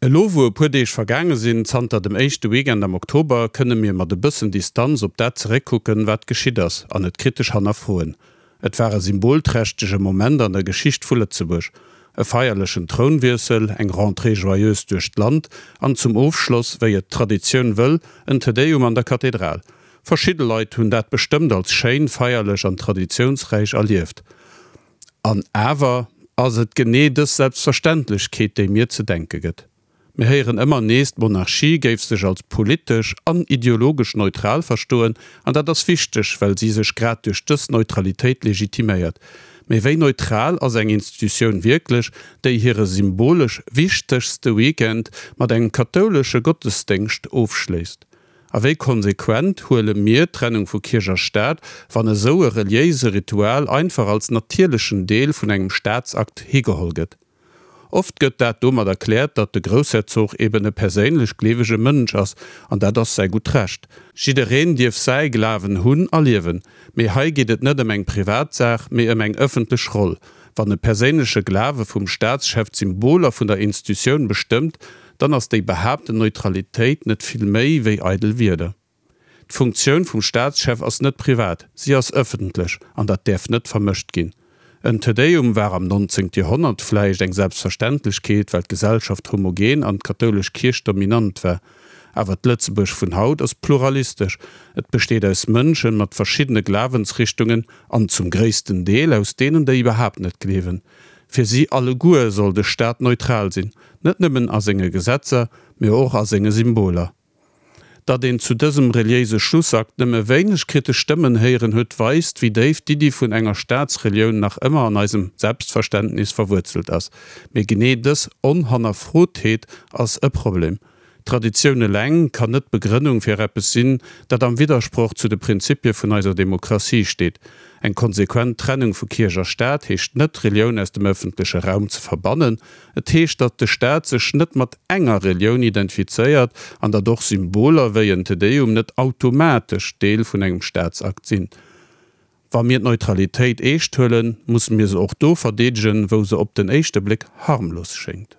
Elo wou e puer Deeg vergaange sinn zanter dem éischte Weekend am Oktober, kënne mir mat e bëssen Distanz op dat zeréckkucken, wat geschitt ass, an et kritesch hannerfroen. Et war e symbolträchtege Moment an der Geschicht vu Lëtzebuerg. E feierlechen Trounwiessel, eng Rentrée joyeuse duerch d'Land an zum Ofschloss, wéi et d'Traditioun wëll, en Te Deum an der Kathedral. Verschidde Leit hunn dat bestëmmt als schéin, feierlech an traditiounsräich erlieft. An awer ass et genee dës Selbstverständlechkeet, déi mir ze denke gëtt. Mir héieren ëmmer nees, d'Monarchie géif sech als politesch an ideologesch neutral verstoen, an dat ass wichteg, well si sech grad duerch dës Neutralitéit legitiméiert. Mee wéi neutral ass eng Institutioun wierklech, déi hire symbolesch wichtegste Weekend mat engem kathoulesche Gottesdéngscht ofschléisst? A wéi konsequent huele mir d'Trennung vu Kierch a Staat, wann esou e reliéise Ritual einfach als natierlechen Deel vun engem Staatsakt higeholl gëtt? Oft gëtt dat domat erkläert, datt de Groussherzog eben e perséinlech gleewege Mënsch ass, an dat ass säi gutt Recht. Jiddereen dierf säi Glawen hunn a liewen, mee hei geet et net ëm eng privat Saach, mee ëm eng ëffentlech Roll. Wann e perséinleche Glawe vum Staatschef d'Symboler vun der Institutioun bestëmmt, dann ass déi behaapten Neutralitéit net vill méi wéi eidel Wierder. D'Funktioun vum Staatschef ass net privat, si ass ëffentlech an dat däerf net vermëscht ginn. En Te Deum war am 19. Joerhonnert vläicht eng Selbstverständlechkeet, well d'Gesellschaft homogen an d'kathoulesch Kierch dominant war. Awer d'Lëtzebuerg vun haut ass pluralistesch, et besteet aus Mënschen mat verschiddene Glawensrichtungen an zum gréissten Deel aus deenen, déi iwwerhaapt net gleewen. Fir si alleguer soll de Staat neutral sinn, net nëmmen a senge Gesetzer, mee och a senge Symboler. Datt een zu dësem reliéise Schlussakt nëmme wéineg kritesch Stëmmen héieren huet, weist, wéi déif d'Iddi vun enger Staatsrelioun nach ëmmer an eisem Selbstverständnis verwuerzelt ass. Mee genee dës Onhannerfrotheet ass e Problem. Traditioun eleng kann net d'Begrënnung fir eppes sinn, dat am Widdersproch zu de Prinzipie vun eiser Demokratie steet. Eng konsequent Trennung vu Kierch a Staat heescht net, d'Relioun aus dem ëffentleche Raum ze verbannen. Et heescht, datt de Staat sech net mat enger Relioun identifizéiert an datt och Symboler wéi en Te Deum net automatesch Deel vun engem Staatsakt sinn. Wa mir d'Neutralitéit eescht huelen, musse mir se och do verdeedegen, wou se op den éischte Bléck harmlos schéngt.